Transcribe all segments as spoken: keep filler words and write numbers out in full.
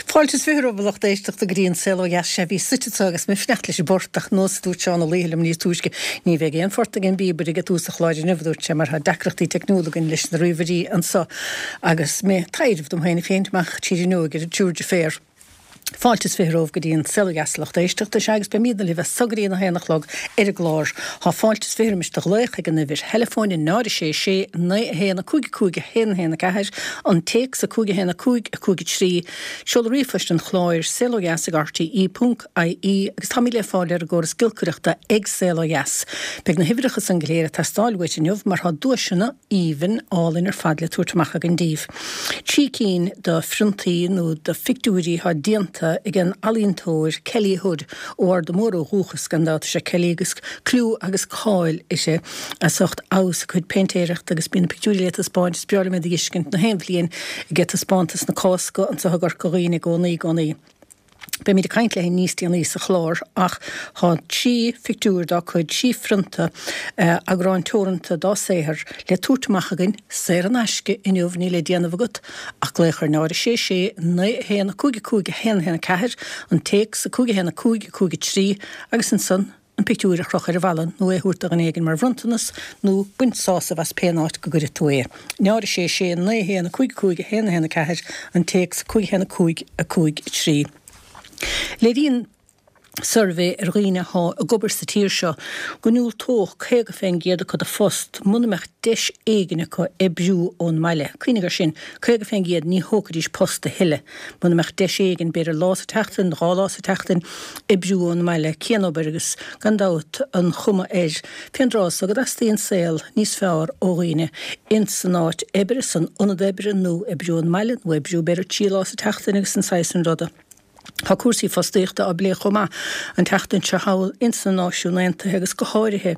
Fáilte is fiche romhaibh a lucht éisteachta go dtí an Saol Ó Dheas. Sea, bhíos suite anseo agus mé ag fanacht leis an bport ach nós a dúirt Seán Ó Laoithe liom níos túisce, ní bheidh aon phort ag an bpíobaire ag tús an chláir inniu, a dúirt sé, mar tá deacrachtaí teicniúla againn leis na ríomhairí anseo agus mé ag taidhreamh dom féin ag féachaint amach tríd an fhuinneog ar an triúr deirféar. Fáilte is fiche romhaibh go dtí an Saol Ó Dheas a lucht éisteachta. Sea, agus beimidne libh as so go dtí an a haon a chlog ar an gclár. Tá fáilte is fiche roimis do ghlaoch ag an uimhir theileafóin náid a sé sé naoi a haon a cúig a cúig a haon a haon a ceathair, an téacs a cúig a haon a cúig a cúig a trí, seoladh ríomhphoist an chláir, saol ó dheas ag rte ponc ie, agus táimid le fáil ar an gcóras giolcaireachta ag Saol Ó Dheas. Beidh na huimhreacha san go léir ag teastáil uait inniu mar tá duaiseanna aoibhinn álainn ar fad le tabhairt amach againn daoibh. Trí cinn de phriontaí nó de phictiúirí atá déanta ag an ealaíontóir Kelly Hood ó Arda Mór ó dhúchas gan dabht is ea Kelly agus clú agus cáil uirthi as ucht fheabhas a cuid péintéireachta agus bíonn na pictiúirí le taispeáint is breá liom iad a fheiscint na haon bhliain ag taispeántas na Cásca anseo i gCorca Dhuibhne i gcónaí i gcónaí. Beimid ag caint léi níos déanaí sa chlár ach tá trí phictiúr dá cuid, trí phrionta, eagrán teoranta dá saothar le tabhairt amach againn saor in aisce inniu, níl le déanamh agat ach glaoch ar náid a sé sé naoi a haon a cúig a cúig a haon a haon a ceathair, an téacs a cúig a haon a cúig a cúig a trí agus ansan an pictiúr a chrochadh ar an bhalla nó é a thabhairt do dhuine éigin mar bhronntanas nó baint sásamh as pén áit go gcuirfidh tú é. Náid a sé sé naoi a haon a cúig a cúig a haon a haon a ceathair, an téacs cúig a haon a cúig a cúig a trí. Léiríonn suirbhé ar dhaoine atá ag obair sa tír seo go ndiúltódh caoga fén gcéad acu do phost muna mbeadh deis éigin acu oibriú ón mbaile. Cuimhnigh air sin, caoga fén gcéad ní thógfaidís post a thuilleadh muna mbeadh deis éigin, b'fhéidir lá sa tseachtain, dhá lá sa tseachtain, oibriú ón mbaile. Cianobair agus gan dabht an chuma air fén dtráth so go dteastaíonn saol níos fearr ó dhaoine ins an áit oibre, san ionad oibre nó oibriú ón mbaile nó oibriú b'fhéidir trí lá sa tseachtain agus an saghas sin ruda. Tá cúrsaí fostaíochta á bplé chomh maith an tseachtain seo thall ins na Náisiúin Aontaithe agus go háirithe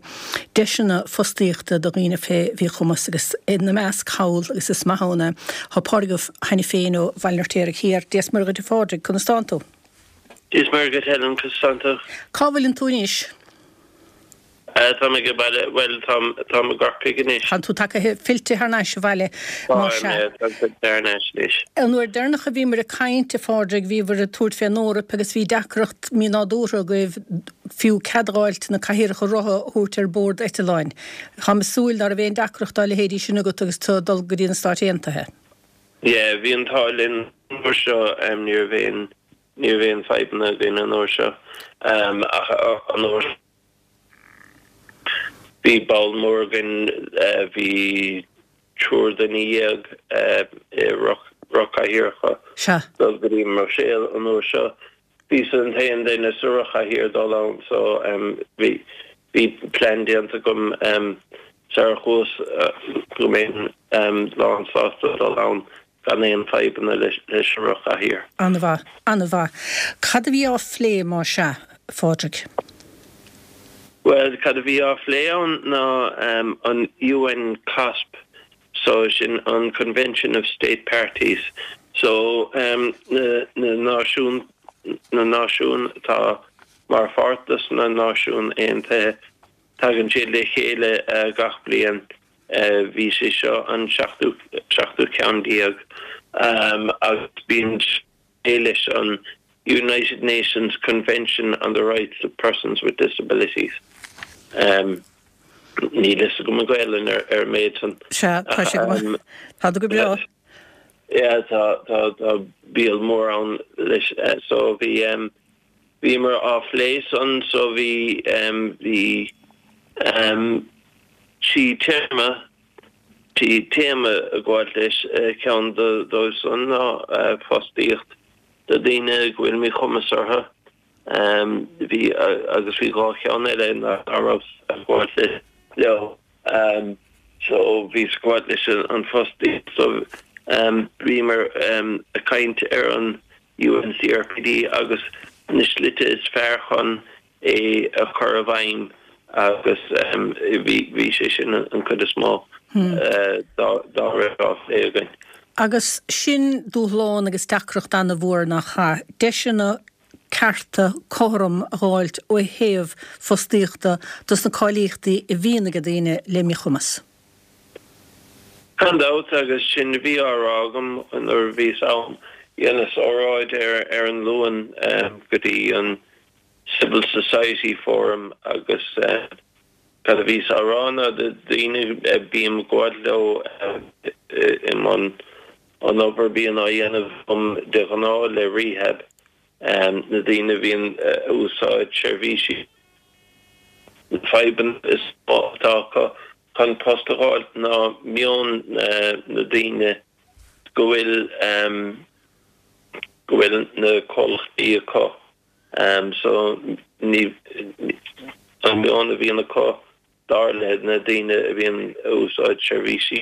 deiseanna fostaíochta do dhaoine fé mhíchumas agus ina measc thall agus is maith ann é tá Pádraig Ó hAiniféin ó Bhaile an Fheirtéaraigh Thiar. Dia is Muire dhuit a Phádraig, conas tánn tú? Dia is Muire dhuit Helen, conas tánn tú? Cá bhfuileann tú anois? Tá mé ag baile, bhuel, táim, táim i gCorcaigh anois. Tánn tú tagtha, fillte thar n-ais abhaile, má Táim, sea. yeah, táim fillte thar n-ais anois. An uair deireanach a bhíomar ag caint, a Phádraig, bhíobhair ag tabhairt fén Eoraip agus bhí deacracht mínádúrtha agaibh fiú cead a dh'fháilt na cathaoireacha rotha a thabhairt ar bord eitleáin. Táim ag súil ná raibh aon deacracht dá leithéidí sin agat agus tú ag dul go dtí na Stáit Aontaithe. Yeah, bhí an t-ádh linn an uair seo, ní raibh aon, ní raibh aon fadhbanna againn an uair seo, ach an uair. Bhí ball mór againn, bhí triúr duine dhéag i rothchathaoireacha dul go dtí an mBruiséil an uair seo. Bhíos an t-aon duine sa rothchathaoir dul ann so bhí bhí plean déanta agam sar a chuas go mbeinn lán sásta dul ann gan aon fadhbanna leis an rothchathaoir. An-mhaith, an-mhaith. Cad a bhí á phlé má sea, a Phádraig? Bhuel, cad a bhí á phlé ann ná an UN COSP, so sin an Convention of State Parties, so na náisiún, na náisiúin atá mar pháirt dos na Náisiúin Aontaithe, tagann siad le chéile gach bliain. Bhí sé seo an seachtú seachtú ceann déag agus bíonn sé leis an United Nations Convention on the Rights of Persons with Disabilities. Níl fhios agam an Ghaelainn ar ar an méid san. Sea, tá sé go maith. Tá tú go breá. Yeah, tá tá tá bill mór ann leis so bhí bhíomar á phlé san so bhí bhí trí téarma, trí téama ag gabháilt leis, ceann dóibh san ná fostaíocht do daoine go bhfuil míchumas orthu. Bhí agus bhí dhá cheann eile nach raibh ag gabháilt leo. So bhíos ag gabháilt leis an fostaíocht so bhíomar ag caint ar an UNCRPD agus na slite is fearr chun é a chur i bhfeidhm agus bhí sé sin an chuid is mó dá raibh á phlé againn. Agus sin dúshlán agus deacracht an-mhór nach ea? Deiseanna cearta cothrom a dh'fháilt ó thaobh fostaíochta dos na cáilíochtaí a bhíonn ag daoine le míchumas. Gan dabht, agus sin a bhí á rá agam nuair a bhíos ann, Dheineas óráid ar ar an Luan go dtí an Civil Society Forum agus cad a bhíos á rá ná daoine a bím ag gabháil leo i mbun an obair bíonn á dhéanamh agam de ghnáth le Rehab, na daoine a bhíonn ag úsáid seirbhísí, na fadhbanna is mó atá acu chun post a fháil ná meon na daoine go bhfuil go bhfuil na comhlachtaí acu. So ní an meon a bhíonn acu dar le na daoine a bhíonn ag úsáid seirbhísí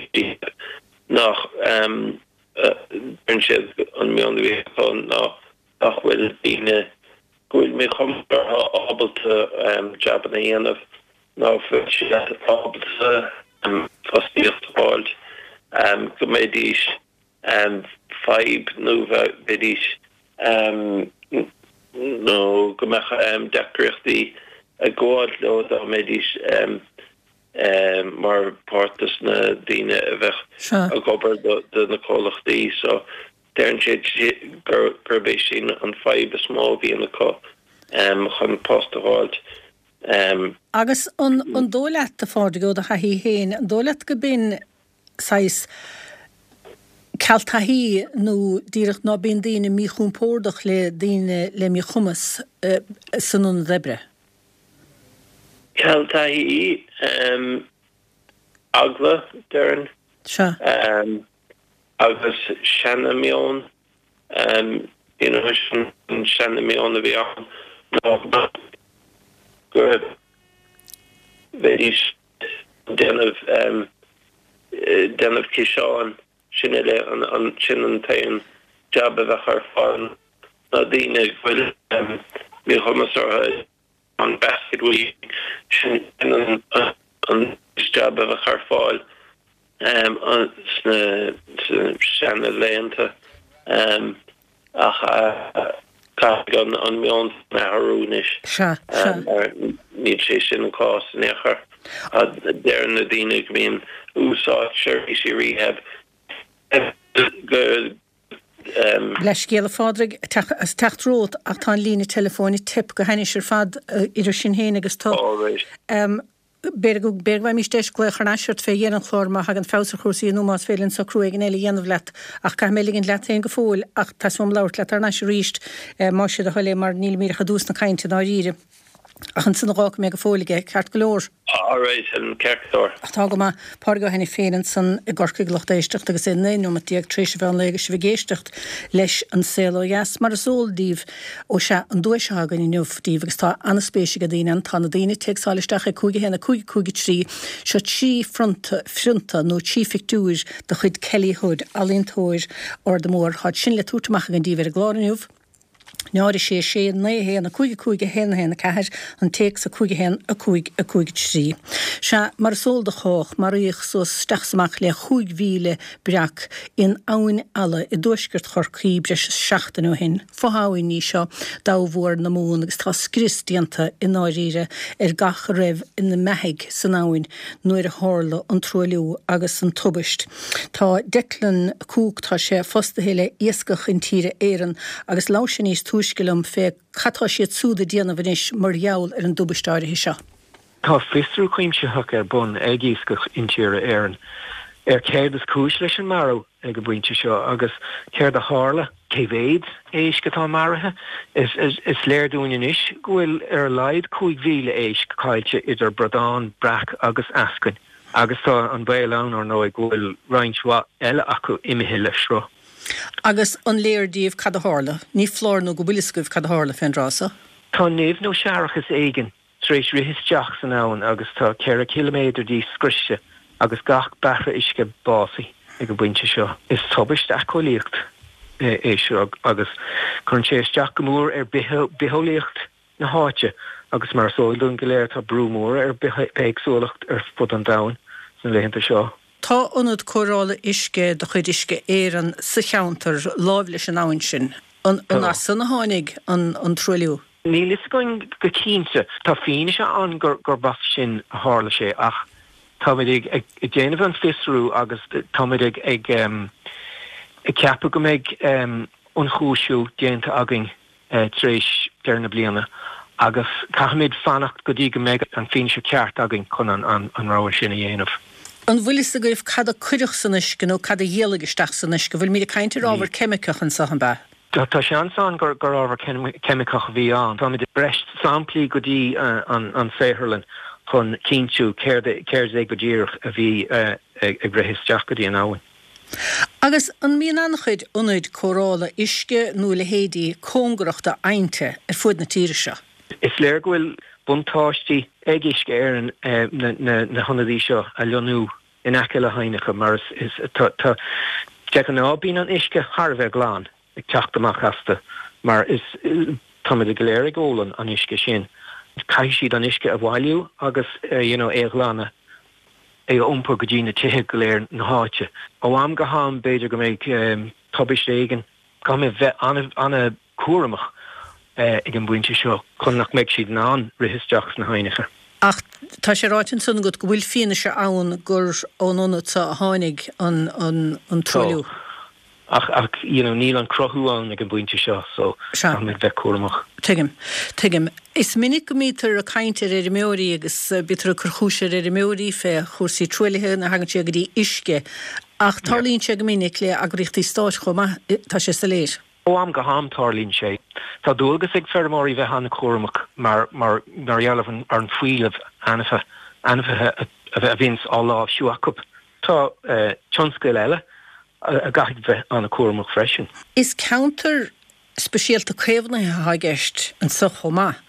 nach deireann siad an meon a bhíonn acu ná nach bhfuil daoine go bhfuil míchumas orthu ábalta jabanna a dhéanamh ná fuil siad ábalta fostaíocht a fháil go mbeidís fadhb nó bheidís nó go mbeadh deacrachtaí ag gabháil leo dá mbeidís mar pháirt des na daoine a bheadh ag obair do na comhlachtaí. So deireann siad gurb é sin an fadhb is mó a bhíonn acu chun post a fháilt. Agus an dóigh leat, a Phádraig, ó do thaithí féin, an dóigh leat go b'in saghas ceal taithí nó díreach ná bíonn daoine míchompordach le daoine le míchumas san ionad oibre? Ceal taithí, eagla, déarfainn. Sea. Agus seana-mheon, you know, sin an seana-mheon a bhí ann ná go mbeidís ag déanamh déanamh ciseáin, sin uile, sin an t-aon jab a bheadh ar fáil ná daoine go bhfuil míchumas orthu an basket weaving, sin an jab a bheadh ar fáil sna seana laethanta ach caithfidh an meon sin athrú anois mar níl sé sin an cás in aon chor. Deireann na daoine go mbíonn úsáid seirbhísí rehab go Leithscéal, a Phádraig, as teacht romhat ach tá an líne teileafóin ag teip go hainnis ar fad idir sinn féin agus tú. B'fhéidir go bhfaighimís deis glaoch thar n-ais ort fé dheireadh an chláir má thagann feabhas ar chúrsaí nó más féidir linn socrú éigin eile a dhéanamh leat. Ach caithfidh mé ligint leat féin go fóill ach tá súil agam labhairt leat thar n-ais arís más é do thoil é mar nílimid ach i dtús na cainte i ndáiríre. Ach ansan a dh'fhágfaidh mé go fóill aige, ceart go leor. Alright, Helen, ceart go leor. Ach tá go maith. Pádraig Ó hAiniféin ansan i gCorcaigh, lucht éisteachta, agus é naoi nóimeat déag tar éis an mheán lae agus sibh ag éisteacht leis An Saol Ó Dheas. Mar is eol daoibh, ó sea, an duais atá againn inniu daoibh, agus tá an-spéis ag daoine ann, tá na daoine ag téacsáil isteach ag cúig a haon a cúig a cúig a trí, seo trí phrionta, phrionta nó trí phictiúir de chuid Kelly Hood, ealaíontóir Arda Mór. Táid sin le tabhairt amach againn daoibh ar an gclár inniu. náid a sé sé naoi a haon a cúig a cúig a haon a haon a ceathair, an téacs a cúig a haon a cúig a cúig a trí. Sea, mar is eol do chách, maraíodh suas isteach is amach le chúig mhíle breac in Abhainn Alla i dtuaisceart Chorcaí breis is seachtain ó shin. Fo-abhainn í seo d'abhar na Mumhan agus tá scrios déanta i ndáiríre ar gach a raibh ina mbeathaigh san abhainn nuair a tharla an truailliú agus an tubaist. Tá Declan Cooke, tá sé fostaithe le Iascach Intíre Éireann agus labhair sé níos túisce liom fé cad tá siad súd ag déanamh anois mar gheall ar an dtubaist áirithe seo. Tá fiosrú cuimsitheach ar bun ag Iascach Intíre Éireann ar céard is cúis leis an marú ag an bpointe seo agus céard a tharla, cé mhéad éisc atá maraithe. Is léir dúinn anois go bhfuil ar a laghad cúig mhíle éisc caillte idir bradán, breac agus eascainn. Agus tá an baol ann, ar ndóigh, go bhfuil roinnt mhaith eile acu imithe le sruth. Agus an léir daoibh cad a tharla? Ní foláir nó go bhfuil fhios agaibh cad a tharla fén dtráth so. Tá nimh nó séarachas éigin tar éis rith isteach san abhainn agus tá ceithre chiliméadar di scriosta agus gach beathra uisce básaithe ag an bpointe seo. Is tubaist éiceolaíocht é seo agus cuireann sé isteach go mór ar bitheolaíocht na háite agus mar is eol dúinn go léir tá brú mór ar bithéagsúlacht ar fud an domhain sna laethanta seo. Tá ionad cóireála uisce de chuid Uisce Éireann sa cheantar láimh leis an abhainn sin. An as san a tháinig an truailliú? Níl fhios againn go cinnte. Tá fianaise ann gurb as sin a tharla sé ach táimid ag déanamh an fiosrú agus táimid ag ceapadh go mbeidh ionchúisiú déanta againn tar éis deireadh na bliana agus caithfimid fanacht go dtí go mbeidh an fianaise ceart againn chun an an rogha sin a dhéanamh. An bhfuil fhios agaibh cad a cuireadh san uisce nó cad a d'éalaigh isteach san uisce? Bhfuilimid ag caint ar ábhar ceimiceach anseo, an ea? Tá seans ann gur gur ábhar ceimiceach a bhí ann. Táimid ag breis samplaí go dtí an an saotharlann chun cinntiú céard céard é go díreach a bhí ag rith isteach go dtí an abhainn. Agus an mbíonn an-chuid ionaid cóireála uisce nó a leithéidí cóngarach d'aibhnte ar fud na tíre seo? Is léir go bhfuil buntáistí ag Uisce Éireann na na hionadaí seo a lonnú in aice le haibhneacha mar is is tá tá de ghnáth bíonn an uisce thar a bheith glan ag teacht amach astu mar is táimid go léir ag ól an an uisce sin. Caithfidh siad an uisce a bhailiú agus you know é a ghlanadh é a iompar go dtí na tithe go léir na háite. Ó am go ham b'fhéidir go mbeidh tubaiste éigin, caithfimid bheith an-chúramach ag an bpointe seo chun nach mbeidh siad in ann rith isteach sna haibhneacha. Ach tá sé ráite ansan agat go bhfuil fianaise ann gur ón ionad seo a tháinig an an an truailliú. Ach ach you know níl an cruthú ann ag an bpointe seo so caithfimid bheith cúramach. Tuigim. Tuigim. Is minic go mbítear ag caint ar fheirmeoirí agus bítear ag cur chúis ar fheirmeoirí fé chúrsaí truaillithe nuair a thagann sé go dtí uisce ach tarlaíonn sé go minic le eagraíochtaí stáit chomh maith, tá sé soiléir. Ó am go ham tarlaíonn sé. Tá dualgas ag feirmeoirí bheith an-chúramach mar mar mar gheall ar an fuílleamh ainmhithe ainmhithe a bhíonn á láimhsiú acu. Tá tionscail eile a gcaithfidh bheith an-chúramach freisin. Is ceantar speisialta caomhnaithe atá i gceist anseo chomh maith.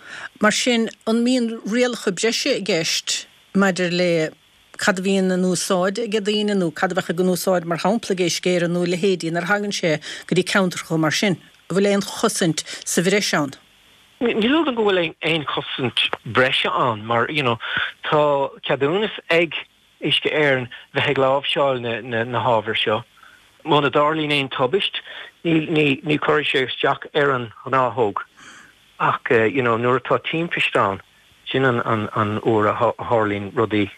Mar sin, an mbíonn rialacha breise i gceist maidir le cad a bhíonn in úsáid ag daoine nó cad a bheadh in úsáid mar shampla ag Uisce Éireann nó leithéidí nuair a thagann sé go dtí ceantracha mar sin? An bhfuil aon chosaint sa bhreis ann? Ní dóigh go bhfuil aon chosaint breise ann mar you know, tá ceadúnas ag Uisce Éireann bheith ag láimhseáil na, na, na hábhair seo. Muna dtarlaíonn aon tubaist, ní, ní, ní chuirfidh sé isteach ar an ngnáthóg. Ach uh, you know, nuair atá timpiste ann, sin an, an, an uair a tharlaíonn rudaí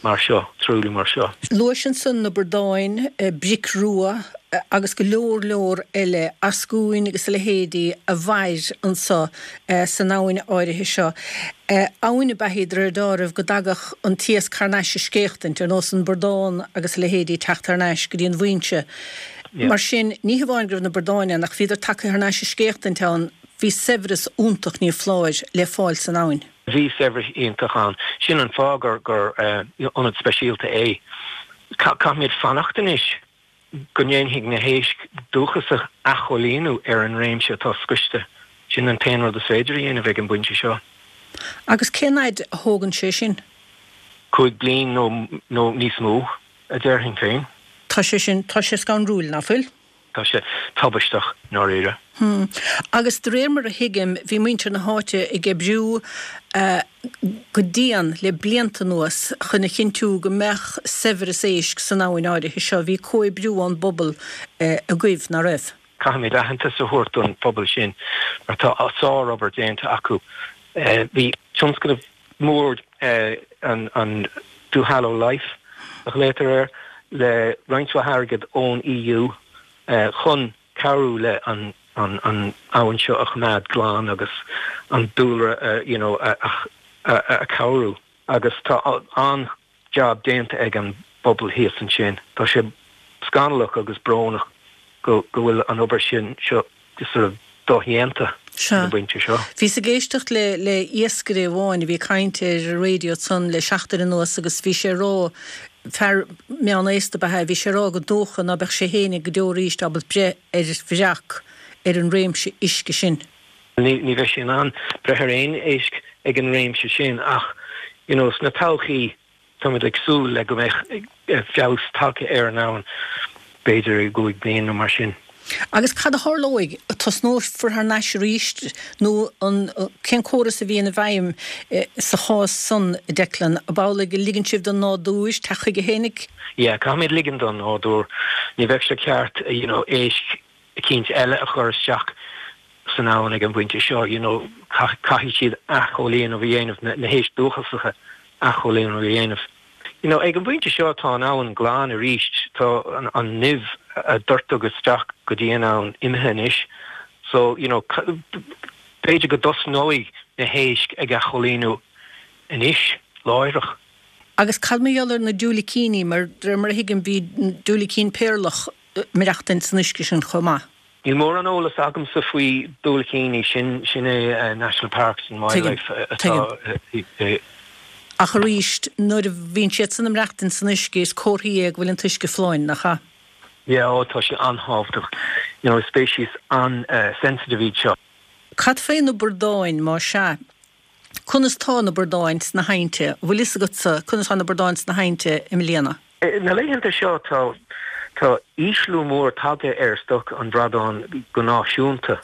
mar seo, truailliú mar seo. Luais ansan na bradáin, bric rua agus go leor leor eile, eascúin agus a leithéidí a mhair anso san abhainn áirithe seo. Abhainn ab ea í de réir dealraimh go dtagadh an t-iasc thar n-ais ag scéachtaint, ar nós an bradán agus a leithéidí teacht thar n-ais go dtí an bhfoinse. Mar sin, ní hamháin go raibh na bradáin ann ach bhíodar tagtha thar n-ais ag scéachtaint ann, bhí saibhreas iontach ní foláir le fáil san abhainn. Bhí saibhreas iontach ann. Sin an fáth gur gur ionad speisialta é. Caithfimid fanacht anois go ndéanfaidh na héisc dúchasacha athchóilíniú ar an réimse atá scriosta. Sin an t-aon rud is féidir a dhéanamh ag an bpointe seo. Agus cén fhad a thógann sé sin? Cúig bliain nó nó níos mó, a déarfainn féin. Tá sé sin, tá sé scanrúil, nach bhfuil? Tá sé tubaisteach, i ndáiríre. Hmm. Agus de réir mar a thuigim, bhí muintir na háite ag oibriú go dian le blianta anuas chun a chinntiú go mbeadh saibhreas éisc san abhainn áirithe seo. Bhí comhoibriú ón bpobal agaibh, nach raibh? Caithfimid aitheantas a thabhairt don phobal sin mar tá sárobair déanta acu. Bhí tionscnamh mór an an Duhallow Life a ghlaotar air le roinnt mhaith airgid ón EU chun cabhrú le an an an abhainn seo a choimeád glan agus an dúlra you know a a cabhrú agus tá an-jab déanta ag an bpobal thíos ansin. Tá sé scannalach agus brónach go go bhfuil an obair sin seo sort of dodhéanta ag an bpointe seo. Bhíos ag éisteacht le le iascaire amháin a bhí ag caint ar an raidió ansan le seachtain anuas agus bhí sé ag rá, fear meánaosta ab ea é, bhí sé ag rá gur dócha ná beadh sé fhéinig go deo arís ábalta breith ar bhreac ar an réimse uisce sin. Ní ní bheidh sé in ann breith ar aon éisc ag an réimse sin ach you know sna todhchaí táimid ag súil le go mbeidh feabhas tagtha ar an abhainn b'fhéidir i gcúig bliain nó mar sin. Agus cad a tharlóidh? Tosnófar thar n-ais arís nó an cén córas a bhíonn i bhfeidhm sa chás san, a Declan? Ab amhlaidh go ligeann sibh don nádúr teacht chuige fhéinig? Yeah, caithfimid ligean don nádúr. Ní bheadh sé ceart you know éisc eicínt eile a chur isteach san abhainn ag an bpointe seo, you know caithfidh siad athchóilíniú a dhéanamh, na héisc dúchasacha athchóilíniú a dhéanamh. You know, ag an bpointe seo tá an abhainn glan arís, tá an, an nimh a doirteadh isteach go dtí an abhainn imithe anois. So, you know, b'fhéidir go dtosnóidh na héisc ag athchoilíniú anois, láithreach. Agus cad mar gheall ar na diúilicíní, mar de réir mar a thuigim bhí diúilicín péarlach ag maireachtaint san uisce sin chomh maith. Níl mórán eolas agamsa faoi diúilicíní, sin sin é National Parks and Wildlife atá i. Ach arís, nuair a bhíonn siad san ag maireachtaint san uisce is comhartha é go bhfuil an t-uisce folláin, nach ea? Yeah, oh tá sé an-thábhachtach. You know, speicis an-sensitive iad seo. Cad fé na bradáin, más ea? Conas tá na bradáin sna haibhnte? Bhfuil fhios agatsa conas tá na bradáin sna haibhnte i mbliana? Na laethanta seo tá tá ísliú mór tagtha ar stoc an bhradáin go náisiúnta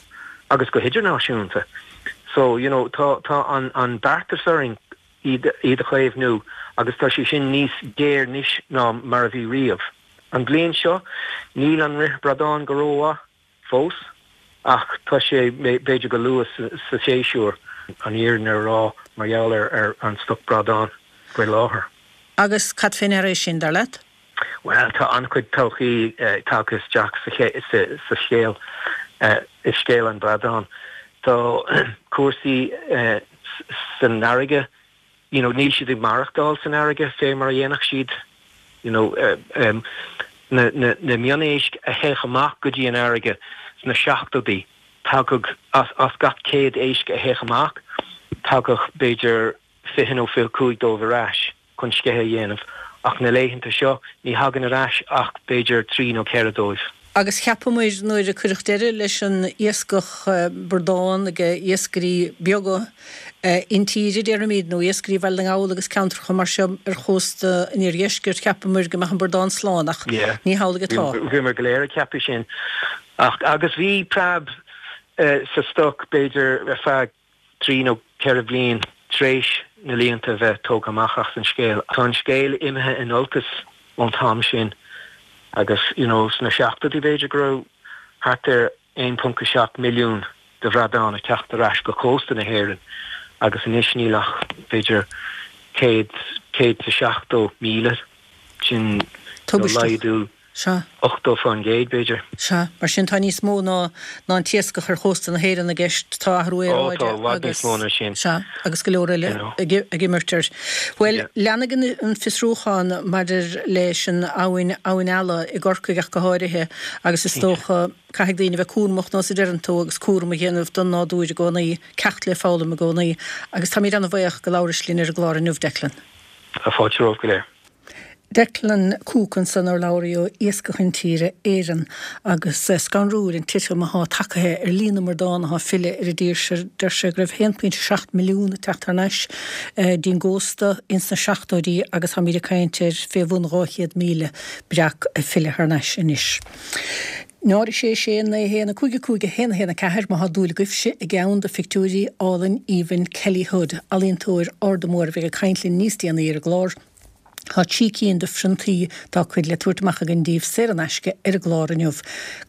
agus go hidirnáisiúnta. So, you know, tá tá an an beartas orainn iad iad a chaomhnú agus tá sé sin níos géire anois ná mar a bhí riamh. An bhliain seo níl an rith bradán go rómhaith fós ach tá sé b'fhéidir go luath sa séasúr an fhírinne a rá mar gheall ar ar an stoc bradán faoi láthair. Agus cad fé ndeara é sin, dar leat? Bhuel, tá an-chuid todhchaí tagtha isteach sa sa scéal, i scéal an bhradáin. Tá cúrsaí san fharraige, you know, níl siad ag maireachtáil san fharraige fé mar a dhéanfadh siad, you know, na na na mionéisc a théadh amach go dtí an fharraige sna seachtóidí, tagadh as as gach céad éisc a théadh amach, tagadh b'fhéidir fiche nó fiche cúig dóibh ar ais chun sceitheadh a dhéanamh, ach na laethanta seo ní thagann ar ais ach b'fhéidir trí nó ceithre dóibh. Agus cheapamair nuair a cuireadh deireadh leis an iascach bradán ag iascairí beaga intíre, déarfaimid, nó iascairí Bhaile na nGall agus ceantracha mar seo ar chósta an iardheiscirt, cheapamair go mbeadh an bradán slán, ach ní hamhlaidh atá. Bhíomar go léir ag ceapadh sin. Ach agus bhí preab sa stoc b'fhéidir ar feadh trí nó ceithre bhliain tar éis na líonta a bheith tógtha amach as an scéal. Tá an scéal imithe in olcas ón t-am sin agus you know sna seachtóidí b'fhéidir go raibh thart ar aon ponc a seacht milliún de bhradáin ag teacht ar ais go cósta na hÉireann agus anois níl ach b'fhéidir céad, céad is a seachtó míle. Sin laghdú Sea. ochtó fán gcéad, b'fhéidir. Sea. Mar sin tá níos mó ná ná an t-iascach ar chósta na hÉireann i gceist. Tá athrú Ó, tá i bhfad níos mó ná sin. Sea, agus go leor eile ag ag imirt air. Bhuel, leanfaidh an an fiosrúchán maidir leis an abhainn, Abhainn Ealla i gCorcaigh ach go háirithe, agus is dócha caithfidh daoine bheith cúramach nós a deireann tú agus cúram a dhéanamh don nádúr i gcónaí, ceacht le foghlaim i gcónaí. Agus táimid an-bhuíoch go labhrais linn ar an gclár inniu, Declan. Tá fáilte romhaibh go léir. Declan Cooke ansan, urlabhraí ó Iascach Intíre Éireann agus scanrúil an titim athá tagtha ar líon na mbradán athá ag filleadh ar an dtír seo. Deir sé go raibh a haon pointe seacht milliún ag teacht thar n-ais dtí'n gcósta ins na seachtóidí agus táimíd ag caint ar fé bhun dhá chéad míle breac ag filleadh thar n-ais anois. Náid a sé sé naoi a haon a cúig a cúig a haon a haon a ceathair má thá dúil agaibhse i gceann de phictiúirí álainn aoibhinn Kelly Hood, ealaíontóir Arda Mór a bheidh ag caint linn níos déanaí ar an gclár. Tá trí cinn de phriontaí dá cuid le tabhairt amach againn daoibh saor in aisce ar an gclár inniu.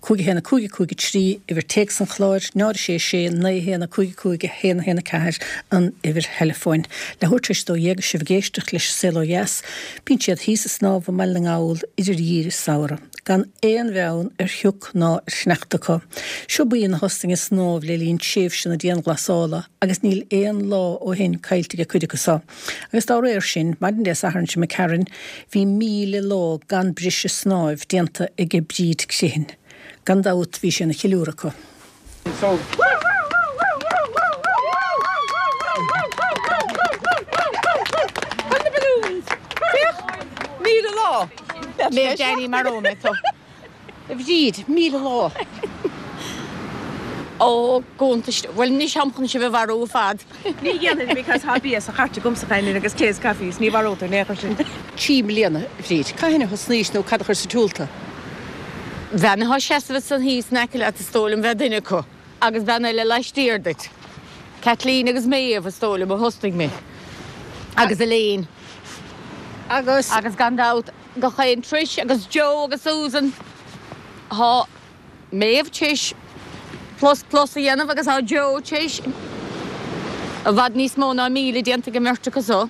Cúig a haon a cúig a cúig a trí uimhir téacs an chláir, náid a sé sé naoi a haon a cúig a cúig a haon a haon a ceathair an uimhir theileafóin. Leathuair tar éis a dó dhéag is sibh ag éisteacht leis An Saol Ó Dheas. Bíonn siad thíos ag snámh i mBaile na nGall idir gheimhreadh is samhradh, gan aon bheann ar shioc ná ar shneachta acu. Seo buíon a thosnaigh ag snámh le linn tréimhse na dianghlasála agus níl aon lá ó shin caillte ag cuid acu so. Agus dá réir sin, maidin Dé Sathairn seo imigh tharainn, bhí míle lá gan briseadh snáimh déanta aige Bríd Criomhthain. Gan dabht bhí sé ina cheiliúradh acu. A Bhríd, míle lá! Ó, gcuntais. Bhuel, anois táim chun sibh a mharú ar fad. Ní dhéanfainn because tá bia sa chairt agamsa féin agus tae is caife is ní mharótar in aon chor sinn. Trí bliana, a Bhríd. Cathain a thosnaís nó cad a chuir sa tsiúl tú? Bean atá seasamh ansan thíos in aice leat is dóigh liom bheith duine acu agus bean eile laistiar duit. Kathleen agus Méabh is dóigh liom a thosnaigh mé. Agus Elaine. Agus. Agus gan dabht gach aon Trish agus Joe agus Susan. Tá. Méabh tar éis plus plus a dhéanamh agus tá Joe tar éis i bhfad níos mó ná míle déanta ag an mbeirt acu so.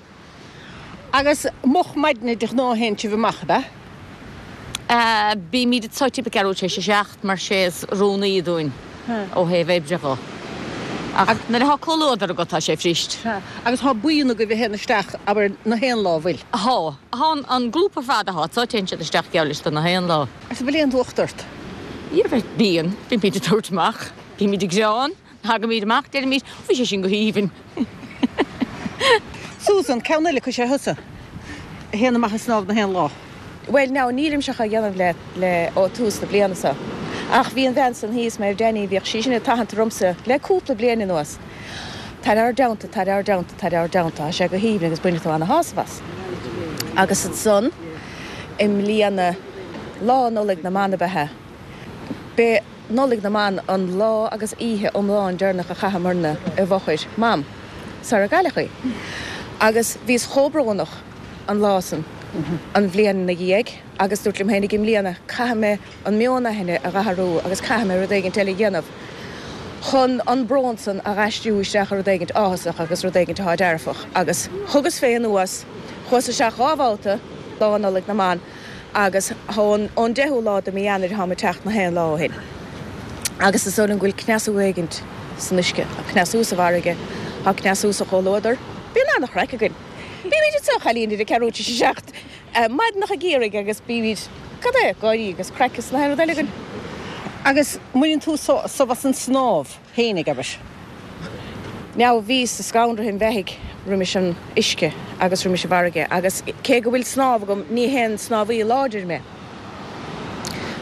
Agus moch maidne de ghnáth théann sibh amach, ab ea? Bímid anseo timpeall ceathrú tar éis a seacht mar sé is rúnaí dúinn ó thaobh oibre dho. Ach nuair atá comhluadar agat tá sé fuirist. Agus tá buíon agaibh a théann isteach, abair, na haon lá, bhfuil? Tá. Tá an grúpa ar fad atá anseo, téann siad isteach geall leis do na haon lá. Agus an bhfuil aon fhuacht ort? Bíonn. Bímid ag tabhairt amach. Bímid ag greann. Tagaimid amach, deirimid, bhí sé sin go haoibhinn. Susan, ceann eile acu is ea thusa a théann amach ag snámh na haon lá? Bhuel now, nílimse á dhéanamh le, le, ó tús na bliana seo. Ach bhí an bhean san thíos, Méabh Danny, bhíodh sí sin ag tathant ormsa le cúpla bliain anuas, tar ár dteannta, tar ár dteannta, tar ár dteannta, tá sé go haoibhinn agus bainfidh tú ana-shásamh as. Agus ansan, i mbliana, Lá Nollag na mBan ab ea é. B'é Nollaig na mBan an lá agus oíche iomlán deireanach a chaitheamarna i bhfochair Mam sara gcailleadh í. Agus bhíos chomh brónach an lá san, an bhliain ina dhiaidh, agus dúrt liom féinig i mbliana, caithfidh mé an meon aigne a dh'athrú agus caithfidh mé rud éigint eile a dhéanamh chun an brón san a dh'aistriú isteach i rud éigint áthasach agus rud éigint atá dearfach. Agus thugas fé anuas, chuas isteach dhá bhabhta Lá Nollaig na mBan, Agus ón ón deichiú lá de mí Eanáir táim ag teacht na haon lá ó shin. Agus is dóigh liom go bhfuil cneasú éigint san uisce, tá cneasú sa bhfarraige, tá cneasú sa chomhluadar. Bíonn an-chraic againn. Bímid anseo, a chailín, idir ceathrú tar éis a seacht maidineach ag iarraidh agus bímid, cad é, gáirí agus craic is na haon rud eile againn. Agus mbaineann tú sásamh as an snámh fhéinig, abair? Now bhíos ag scanradh an bheithígh roimis an uisce agus roimis an bhfarraige agus cé go bhfuil snámh agam ní haon snámhaí láidir mé.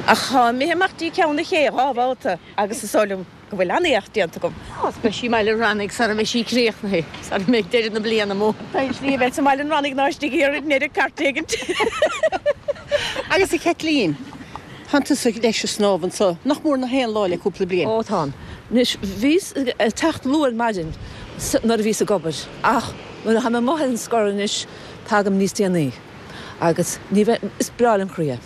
Ach tá imithe amach dtí ceann an ché dhá bhabhta agus is dóigh liom go bhfuil an-éacht déanta agam. Agus beidh sí i mBaile an Rannaigh sara mbeidh sí críochnaithe, sara mbeidh deireadh na bliana amuigh. Tá slí a bheith sa mBaile an Rannaigh ná istigh thiar i nDoire cairt éigint. Agus a Chaitlín, Tánn tusa leis ag snámh anso nach mór na haon lá le cúpla bliain. Ó tánn. Anois, bhíos ag teacht luath ar maidin nuair a bhíos ag obair ach nuair atá mé amuigh ar an scor anois tagaim níos déanaí agus ní bheidh, is breá lem chroí é.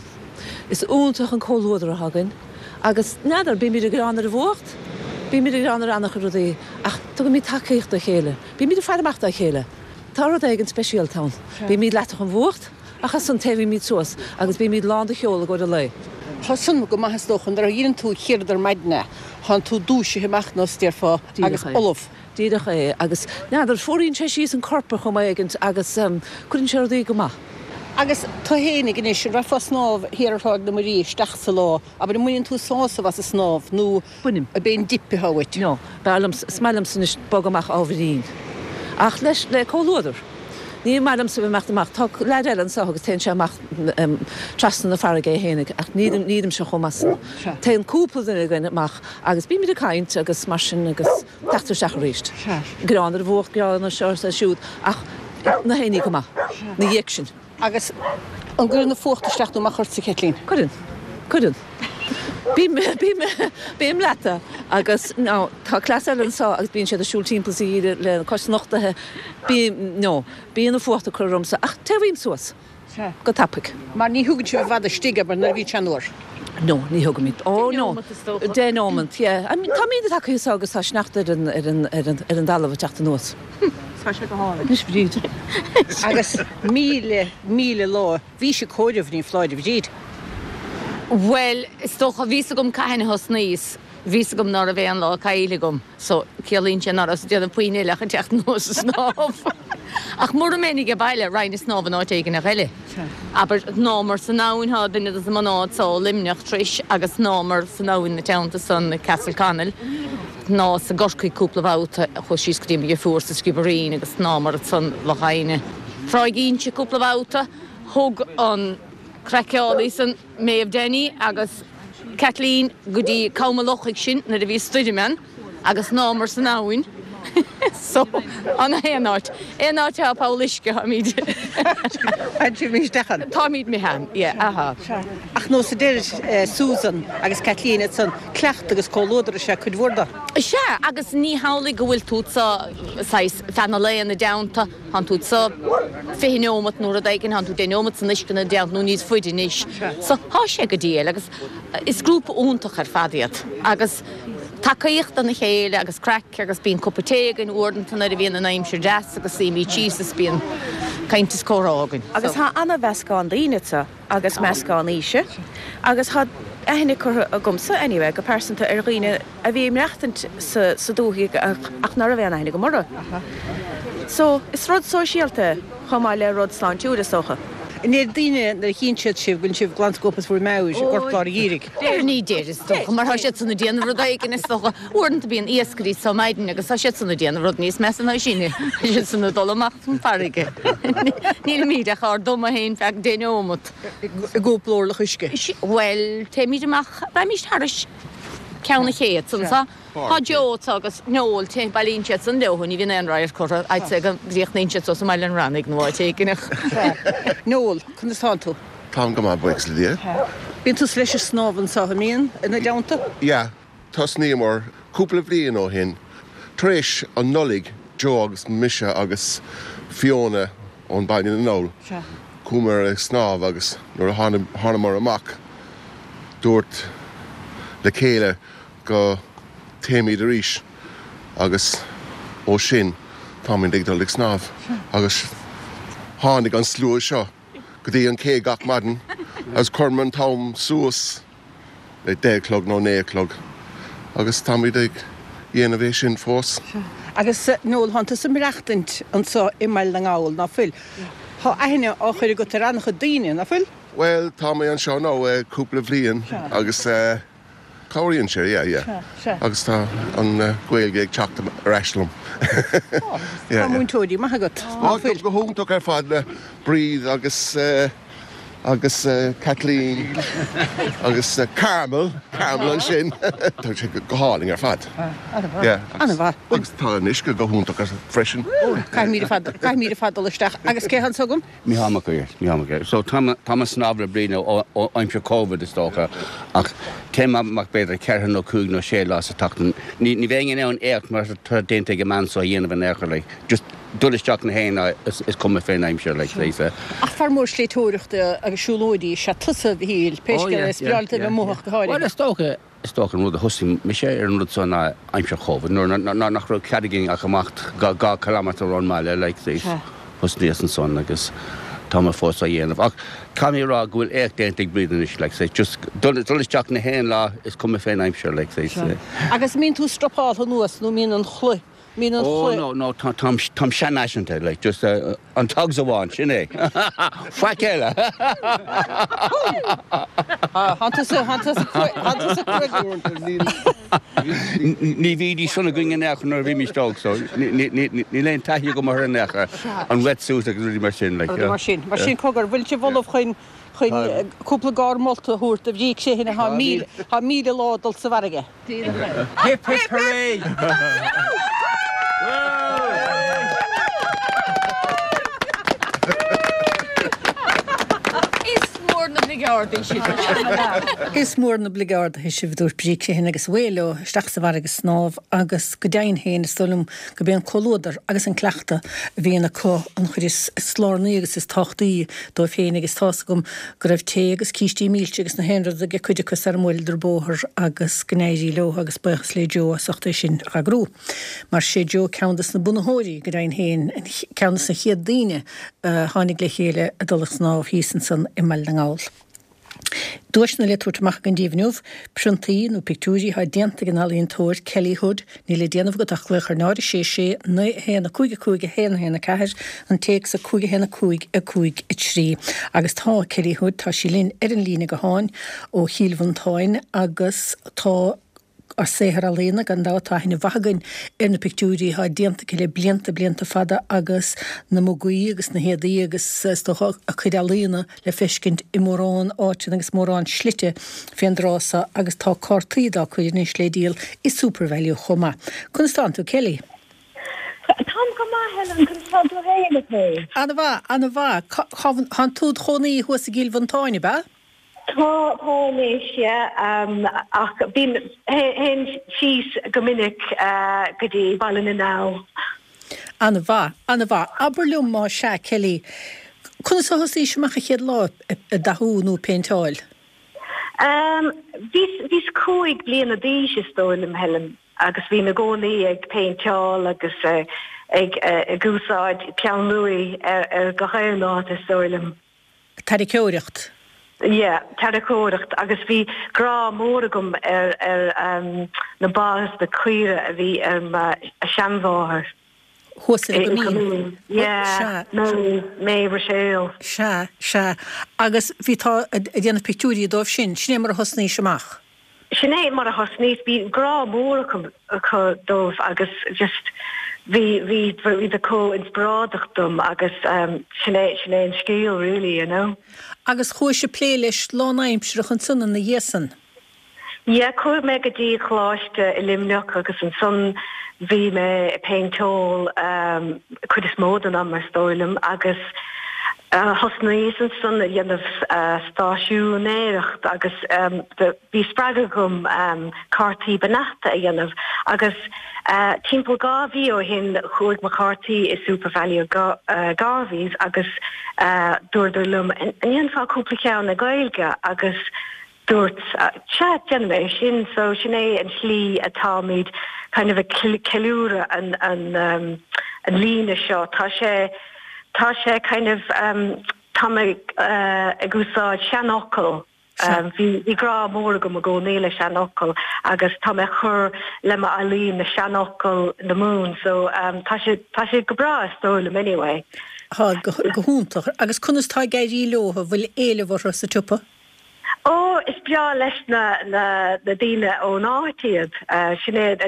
Is iontach an comhluadar atá againn agus n'fheadar, bímid ag gearán ar an bhfuacht, bímid ag gearán ar an-chuid rudaí ach tugaimid tacaíocht dá chéile, bímid ag faire amach dá chéile. Tá rud éigin speisialta ann. Bímid leathach ón bhfuacht ach ansan téimid suas agus bímid lán de cheol i gcomhair an lae. Tá san go maith is dócha nuair a dheineann tú chéad ar maidin é, tánn tú dúisithe amach nós déarfá agus Díreach é. ullamh. Díreach é agus n'fheadar, fuaraíonn sé síos an corp ar chuma éigint agus cuireann sé rudaí go maith. Agus tú fhéinig anois, an rachfá ag snámh thiar ar Thráigh na Muirí isteach sa lá, abair an mbaineann tú sásamh as an snámh nó Bainim. ab é an dip atá uait? No, b'fhearr liom, is maith liomsa anois bogadh amach ábhairín. Ach leis, le comhluadar. Ní maith liomsa bheith imeacht amach. Tá leaid eile anso agus téann sé amach trasna na farraige é fhéinig ach nílim, nílimse chomh maith san. Téann cúpla duine againn amach agus bímid ag caint agus mar sin agus teacht isteach arís. Gearán ar an bhfuacht, gearán ar seo is ar siúd ach na haon ní go maith 'na dhiaidh sin. Agus an gcuireann an fuacht isteach nó amach ortsa, a Chaitlín? Cuireann. Cuireann. Bím, bím, bím leata agus no, tá cleas eile anso agus bíonn siad ag siúl timpeall sa gheimhreadh le cois nochtaithe. Bím, no, bíonn an fuacht ag cur ormsa ach téimh suas. Sea. Go tapaidh. Mar ní thugann sibh i bhfad istigh, abair, nuair a bhíonn sé an-fhuar. No, ní thugaimid. Oh Deich no. neomat is dócha. Deich neomat, yeah. I mean, táimid ag tagtha anso agus tá sneachta ar an, ar an, ar an, ar an dtalamh ag teacht anuas. Tá sé go hálainn. Anois Bríd. Agus míle, míle lá, bhís ag comhaireamh, ní foláir, a Bhríd. Bhuel, is dócha, bhí's agam cathain a thosnaíos, bhí's agam ná raibh aon lá caillte agam, so ciallaíonn sé ná rabhas ag déanamh puinn eile ach ag teacht anuas ag snámh. Ach mura mbeinn age baile, raghainn ag snámh in áit éigineach eile. Abair, shnámhamar san abhainn, thá duine de na mná anso ó Luimneach tar éis agus shnámhamar san abhainn na teannta san i Castleconnell, shnámhas i gCorcaigh cúpla babhta, chuas síos go dtí mo dheirfiúr sa Sciobairín agus shnámhamar ansan Loch Adhna. Tráigh Inse cúpla babhta, thug an craiceálaí san, Méabh Danny agus Kathleen go dtí Com an Lochaigh sinn nuair a bhí stoirm ann agus shnámhamar san abhainn so an aon áit aon áit atá poll uisce táimid Táimid isteach ann. Táimid imithe ann yeah aha. Ach nós a deir Susan agus Kathleen ansan cleachtadh agus comhluadar is ea cuid mhór de. Sea agus ní hamhlaidh go bhfuil tú sa saghas feadh na lae ina dteannta. Tánn tú anso fiche neomat nó rud éigin, tánn tú deich neomat san uisce ina dteannta nó níos faide anois. So, thá sé go diail agus is grúpa iontach ar fad iad agus tacaíocht dona chéile agus craic agus bíonn cupa tae againn uaireanta nuair a bhíonn an aimsir deas agus suímid síos is bíonn caint is comhrá againn. Agus tá ana-mheascán daoine anseo agus meascán aoise agus tá aithne curtha agamsa anyway go pearsanta ar dhaoine a bhí ag maireachtaint sa sa dúthaigh ach ná raibh aon aithne agam orthu. So is rud sóisialta é chomh maith le rud sláintiúil is dócha. An ndeir daoine nuair a chíonn siad sibh go bhfuil sibh glansciobtha as bhur meabhair i gcorp lár an gheimhridh? Deir, ní deir is dócha, mar tá siad san ag déanamh rud éigin is dócha. Uaireanta bíonn iascairí anso maidin agus tá siad san ag déanamh rud níos measa ná sinne, tá siad san ag dul amach chun farraige. Nílimid ach ár dtumadh féin feadh deich neomat. I gcúpla orlach uisce? Bhuel, téimid amach, raghaimís thairis ceann an ché anso. Tá Joe anso agus Noel, téann, bailíonn siad san leo, ní bhíonn aon radharc orthu, I'd say go gcríochnaíonn siad suas i mBaile an Reannaigh nó áit éigin. Noel, conas tánn tú? Táim go maith, buíochas le Dia. Bíonn tusa leis ag snámh anso, an mbíonn, ina dteannta? Yeah, tosnaíomar cúpla bhliain ó shin, tar éis an Nollaig, Joe agus mise agus Fiona ón Baile na nGall, chuamar ag snámh agus nuair a thánamar amach, dúirt le chéile go dtéimid arís agus ó sin táimid ag dul ag snámh agus tháinig an slua seo go dtí an cé gach maidin agus chuireamar an t-am suas le deich a chlog nó naoi a chlog agus táimid ag dhéanamh é sin fós. Agus Noel, thánn tusa ag maireachtaint anso i mBaile na nGall, ná fuil? Tá aithne á chur agat ar an-chuid daoine, ná fuil? Bhuel, tá mé anseo nó cúpla bhliain agus cabhraíonn sé, yeah, yeah. Agus tá an Ghaeilge ag teacht ar ais liom. Tá múinteoirí maith agat, ná fuil? Go hiontach ar fad le Bríd agus agus Kathleen agus Carmel, Carmel ansin. Tá sé go hálainn ar fad. An-mhaith. An-mhaith. Agus tá an uisce go hiontach freisin. Caithfimid ar fad, caithfimid ar fad dul isteach. Agus cé atá anso agam? Mícheál Mac Uidhir, Mícheál Mac Uidhir. So tá mé ag snámh le Bríd ó aimsir Covid is dócha ach téim amach b'fhéidir ceithre nó cúig nó sé lá sa tseachtain. Ní ní bheinn in ann éacht mar atá déanta ag an mbean seo a dhéanamh in aon chor like just dul isteach na haon lá is cuma fén aimsir like say so. Ach fear mór sléibhteoireachta agus siúlóidí is ea tusa a Mhichíl, pé Oh scéal yeah é is yeah breá leat a yeah bheith amuigh yeah. ach go háirithe. Bhuel is dócha Is dócha an rud a thosaigh mise ar an rud seo ná aimsir Covid, nuair nach raibh cead againn ach imeacht dhá kilometre ón mbaile, like, thosnaíos ansan agus tá mé fós á dhéanamh. Ach caithfidh mé a rá go bhfuil éacht déanta ag Bríd anois, like, just dul isteach na haon lá is cuma fén aimsir, like. Agus mbíonn tú strapáltha anuas nó mbíonn an chulaith Mbíonn an Oh no, no, tá, táim, táim seanfhaiseanta, like, just uh, an togs amháin, sin é. Faic eile. Thánn tusa, thánn tusa, thánn tusa Ní bhídís san againn in aon chor nuair a bhímis óg, so níl aon taithí agam orthu in aon chor, an wetsuit agus rudaí mar sin, like, Rudaí mar sin. Mar sin, cogar, bhfuil sibh ullamh chun, chun cúpla gáir molta a thabhairt do Bhríd Crehan atá míle, tá míle lá dul sa bhfarraige? Hip hip hooray! Is mór na bligeardaí sibh. Is mór na bligeardaithe sibh, a dúirt Bríd Crehan agus away leo isteach sa bhfarraige ag snámh agus go deimhin féin is dóigh liom go b'é an comhluadar agus an cleachtadh a bhíonn acu an chuid is lárnaí agus is tábhachtaí dóibh féin agus tá's agam go raibh tae agus cístí milse agus na haon rud ag cuid acu sara mbuaileadar bóthar agus go n-éirí leo agus buíochas le Joe as ucht é sin a eagrú. Mar sé Joe ceann des na bunaitheoirí go deimhin féin, ceann des na chéad daoine a tháinig le chéile ag dul ag snámh thíos ansan i mBaile na nGall. Duaiseanna le tabhairt amach againn daoibh inniu, priontaí nó pictiúirí atá déanta ag an ealaíontóir Kelly Hood, níl le déanamh agat ach glaoch ar náid a sé sé naoi a haon a cúig a cúig a haon a haon a ceathair, an téacs a cúig a haon a cúig a cúig a trí. Agus tá Kelly Hood, tá sí linn ar an líne gutháin ó Chill Mhantáin agus tá a saothar ealaíona, gan dabht tá aithne mhaith againn ar na pictiúirí atá déanta aici le blianta, blianta fada agus na mugaí agus na héadaí agus is dócha a cuid ealaíona le feiscint i mórán áiteanna agus mórán slite fén dtráth so agus tá cártaí dá cuid anois le díol i SuperValu chomh maith. Conas tánn tú, Kelly? Táim go maith, Helen, conas tánn tú féin, a Kay? Ana-mhaith, ana-mhaith. Tánn tú id chónaí thuas i gCill Mhantáin, ab ea? Tá, tá anois, yeah, ach bím, théim síos go minic go dtí Baile na nGall. Ana-mhaith, ana-mhaith. Abair liom má sea, Kelly, conas a thosaís amach an chéad lá ag dathú nó ag péinteáil? Bhíos, bhíos cúig bliana d'aois is dóigh liom, Helen, agus bhínn i gcónaí ag péinteáil agus ag ag úsáid Ceann Lúith ar ar gach aon áit is dóigh liom. Tarraiceoireacht. Yeah, tarraiceoireacht agus bhí grá mór agam ar ar um, na ba is na caoire a bhí ar mo seanmháthair. Thuas i gCoimín. Yeah, May, May Rochelle. Sea, sea. Agus bhí tú ag déanamh pictiúirí dóibh sin, sin é mar a thosnaís amach. Sin é mar a thosnaíos, bhí grá mór acu acu dóibh agus just bhí bhí bhí siad chomh inspioráideach dom agus um, sin é sin é an scéal really, you know. Agus chuais ag plé leis lánaimsearach ansan ina dhiaidh san. Yeah, chuaigh mé go dtí choláiste i Luimneach agus ansan bhí mé ag péinteáil um, cuid is mó den am is dóigh liom agus uh, thosnaíos ansan a dhéanamh uh, stáisiúnéireacht agus um, bhí spreagadh agam um, cártaí beannachta a dhéanamh agus uh, timpeall dhá mhí ó shin chuaigh mo chártaí i SuperValu uh, Garveys agus uh, dúradar liom an ndéanfá cúpla ceann i Gaeilge agus dúirt sea déanfaidh mé sin so sin é an slí atáimid kind of a ceiliúradh an an um, an líne seo tá sé tá sé kind of um, tá mé uh, ag úsáid seanfhocail um, bhí bhí grá mór agam i gcónaí le seanfhocail agus tá mé chur le m'ealaín na seanfhocail na Mumhan so um, tá sé tá sé go breá is dóigh liom anyway. Tá go go hiontach agus conas tá ag éirí leo bhfuil éileamh orthu sa tsiopa? Ó is breá leis na na na daoine ón áit iad uh, sin é a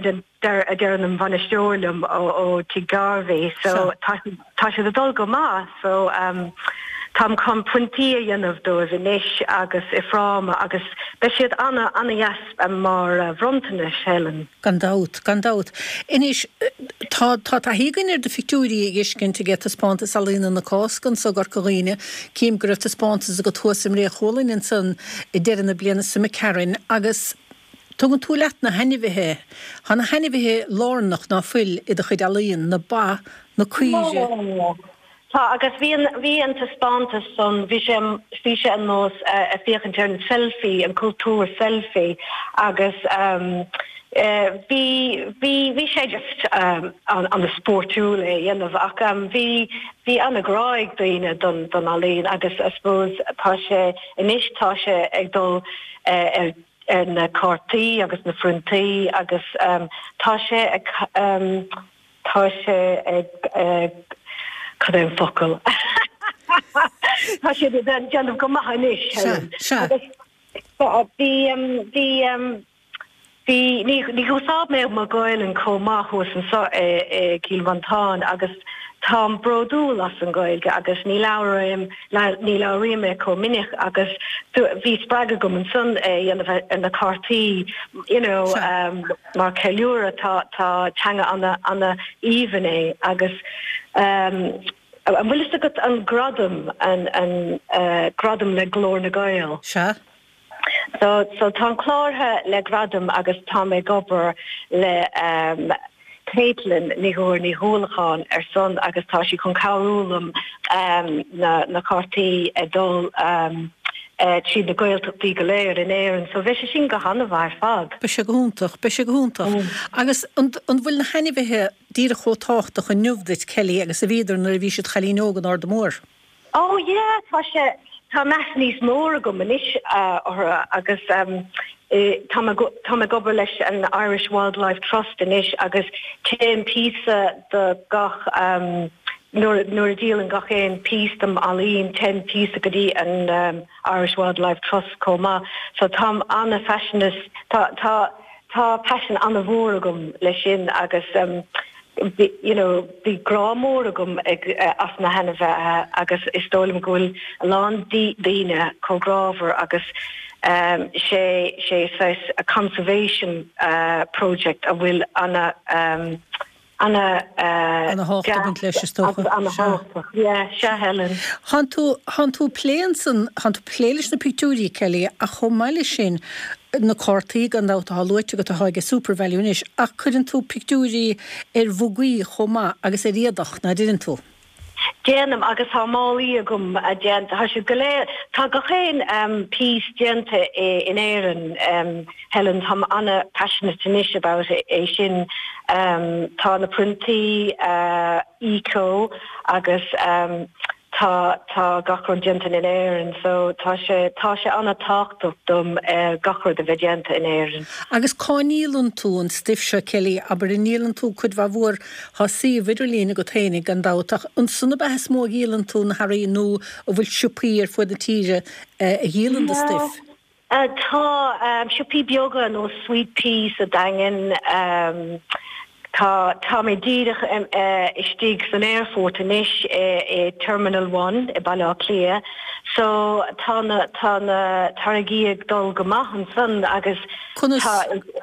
a deir an bainisteoir liom ó ó Tigh Garvey so tá tá sé ag dul go maith so um, Táim chun priontaí a dhéanamh dóibh anois agus i fráma agus beidh siad ana ana dheas mar uh, bhronntanais Helen. Gan dabht, gan dabht. Anois tá tá taithí againn ar do phictiúirí ag fheiscint ag taispeántas ealaíne na Cásca anso i gCorca Dhuibhne, cím go raibh taispeántas agat thuas i mBré Chualainn ansan i deireadh na bliana seo imigh agus tugann tú leat na hainmhithe, Tá na hainmhithe lárnach ná fuil i do chuid ealaíon, na ba, na caoire. Tá agus bhí bhí an taispeántas san bhí sé bhí sé an nós uh, a féachaint ar an selfie an cultúr selfie agus um, uh, bhí bhí bhí sé just um, an, an spórtúil é dhéanamh ach um, bhí bhí an-ghrá ag daoine don don ealaín agus I suppose tá sé anois tá sé ag dul uh, ar ar na cártaí agus na priontaí agus um, tá sé ag um, tá sé ag ag cad é an focal. Tá sé den déanamh go maith anois. Bhí bhí bhí ní úsáid mé mo Ghaeilge chomh maith thuas anseo i gCill Mhantáin agus táim bródúil as an Ghaeilge agus ní labhraím ní labhraím mé chomh minic agus bhí spreagadh agam ansan é dhéanamh na cártaí you know um, mar ceiliúradh tá tá teanga ana ana aoibhinn é agus um, an bhfuil fhios agat an gradam an an uh, gradam le Glór na nGael. Sea? So so tá cláraithe le gradam agus tá mé ag obair le um, Caitlin Ní Thuar Ní Thuallacháin ar son agus tá sí chun cabhrú liom um, na, na cártaí a dul um, uh, trí na Gaeltachtaí go léir in Éirinn, so bhí sé sin go han-mhaith ar fad. Beidh sé go hiontach, beidh sé go hiontach. Mm. Agus an bhfuil na hainmhithe díreach chomh tábhachtach inniu duit Kelly agus a bhíodar nuair a bhí siad cailín óg in Ard Mór. Oh yeah, tá sé tá meas níos mó agam anois uh, orthu agus um, tá tá ag obair leis an Irish Wildlife Trust anois agus téann píosa de gach um, nuair nuair a dhíolann gach aon píosa dem ealaín téann píosa go dtí an um, Irish Wildlife Trust chomh maith so táim ana-phassionate tá tá tá passion an-mhór agam leis sin agus um, Bhí, you know, bhí grá mór agam ag uh, as na hainmhithe agus is dóigh liom go bhfuil a lán daoine chomh grámhar agus um, sé sé saghas a conservation uh, project a bhfuil ana um, ana uh, Ana thábhacht leis is dócha. ana Yeah, sea Helen. Tánn tú tánn tú ag plé ansan tánn tú ag plé leis na pictiúirí Kelly a chomh maith leis sin na cártaí gan dabht atá luaite agat atá ag SuperValu anois ach cuireann tú pictiúirí ar mhugaí chomh maith agus ar éadach ná déanann tú. Déanaim agus tá málaí agam a déanta, tá siad go léir, tá gach aon piece déanta in Éirinn, Helen, táim ana-passionate anois about é sin, tá na priontaí eco agus tá tá gach rud déanta in Éirinn so tá sé tá sé an-tábhachtach dom gach rud a bheith déanta in Éirinn. Agus cá ndíolann tú an stuif seo Kelly, abair an ndíolann tú cuid mhaith mhór, tá suíomh idirlín agat féinig gan dabht ach ansan ab ea is mó a dhíolann tú na hearraí nó an bhfuil siopaí ar fud na tíre a dhíolann do stuif? Tá siopaí beaga nó Sweet Pea sa Daingean, tá tá mé díreach istigh san aerfort anois i Terminal One i Baile Átha Cliath so tá na tá na táirgí ag dul go maith ansan agus Conas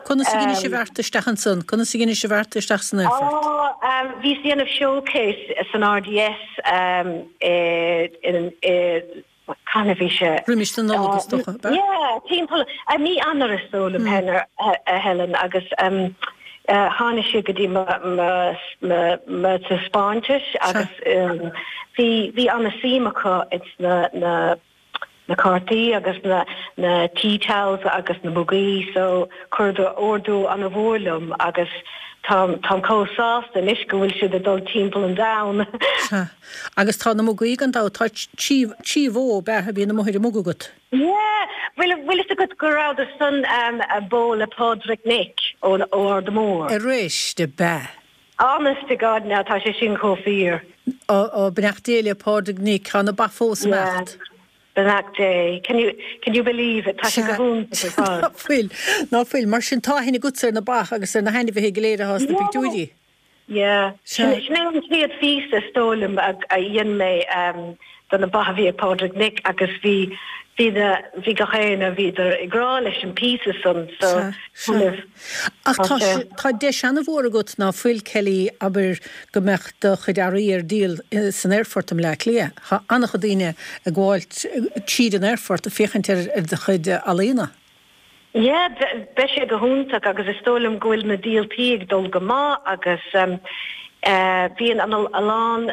conas a dheinis an bheart isteach ansan? Conas a dheinis an bheart isteach san aerfort? Ó bhíos ag déanamh showcase san RDS i i Cathain a bhí sé? Roimis an Nollaig is dócha, ab ea? Yeah, timpeall mí Eanáir is dóigh liom, a Helen, agus tháinig siad go dtí mo mo taispeántas agus bhí bhí an-suim acu ins na na na cártaí agus na na tea towels agus na mugaí so chuireadar ordú an-mhór liom agus táim táim chomh sásta anois go bhfuil siad ag dul timpeall an domhain. Sea. Agus tá na mugaí gan dabht, tá trí trí bhó ab ea a bhíonn amuigh ar an muga agat? Yeah! Bhfuil bhfuil fhios agat go rabhadar san bó le Pádraig Nic ó ó Ard Mór? Arís, ab ea? Honest to God now tá sé sin chomh fíor. Ó ó beannacht Dé le Pádraig Nic, tá na ba fós Yeah. imeacht. Beannacht Dé. Can you, can you believe it? Tá sé go hiontach ar fad. Ná fuil, ná fuil. Mar sin tá aithne agatsa ar na ba agus ar na hainmhithe go léir atá sna pictiúirí. Yeah. Sea. Sin é an chéad phíosa is dóigh liom a dhein mé do na ba a bhí ag Pádraig Nic agus bhí, bhí na, bhí gach éinne, bhíodar i ngrá leis an bpíosa san so Sea, sea. Ach tá sé, tá deis an-mhór agat ná fuil, Kelly, abair go mbeadh do chuid earraí ar díol san aerfort i mBleá Cliath. Tá an-chuid daoine ag gabháil tríd an aerfort ag féachaint ar do chuid ealaíona. Yeah, beidh sé go hiontach agus is dóigh liom go bhfuil na díoltaí ag dul go maith agus bíonn a lán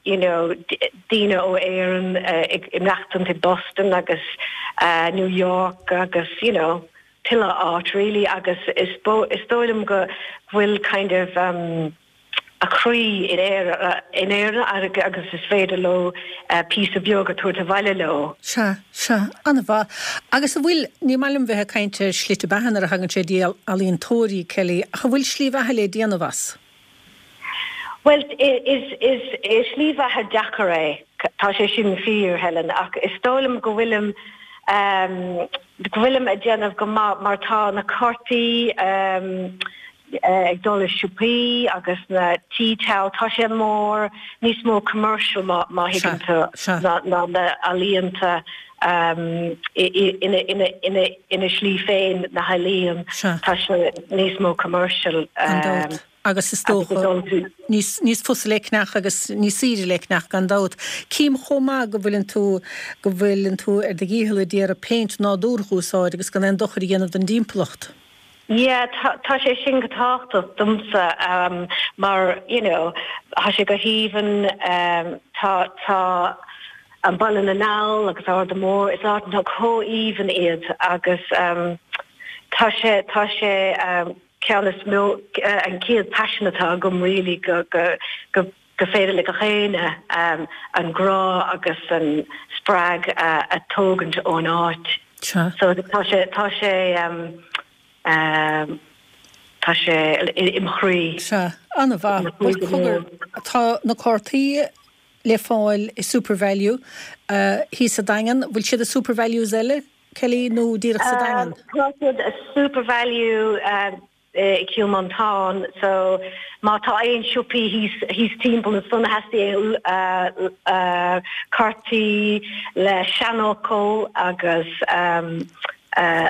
you know daoine ó Éirinn ag imeachtaint i Boston agus New York agus you know tuilleadh áit really agus is is dóigh liom go bhfuil kind of um a chroí in Éire in Éirinn agus is féidir leo píosa beag a tabhairt abhaile leo. Sea, sea, an-mhaith. Agus an bhfuil, ní maith liom bheith ag caint ar shlite beatha nuair a thagann sé dtí ealaíontóirí, Kelly, ach an bhfuil slí bheatha le déanamh as? Bhuel, is is is slí bheatha deacair é, tá sé sin fíor, Helen, ach is dóigh liom go bhfuilim go bhfuilim ag déanamh go maith mar tá na cártaí ag dul i siopaí agus na tea towel, tá sé mór, níos mó commercial má má thuigeann tú ná ná na ealaíonta ina ina ina ina slí féin na healaíon, tá sé níos mó commercial. Gan dabht. Agus is dócha níos níos fusa le ceannach agus níos saoire le ceannach gan dabht. Cím chomh maith go bhfuileann tú go bhfuileann tú ar do dhícheall ag iarraidh péint nádúrtha a úsáid agus gan aon dochar a dhéanamh don dtimpeallacht. Yeah, tá tá sé sin go tábhachtach domsa mar you know tá sé go haoibhinn tá tá an Baile na nGall agus Ard Mór is áiteanna chomh haoibhinn iad agus tá sé tá sé ceann is mó an chéad passion atá agam really go go go go féidir le gach éinne an grá agus an spreag a tógaint ón áit. Sea. So tá sé tá sé tá sé i mo chroí. Sea, an-mhaith. Bhuel cogar, tá na cártaí le fáil i SuperValu thíos sa Daingean. Bhfuil siad i SuperValues eile, Kelly, nó díreach sa Daingean? Tá siad i SuperValu i Cill Mhantáin so má tá aon siopaí thíos thíos timpeall ansan a theastaíonn cártaí le seanfhocail agus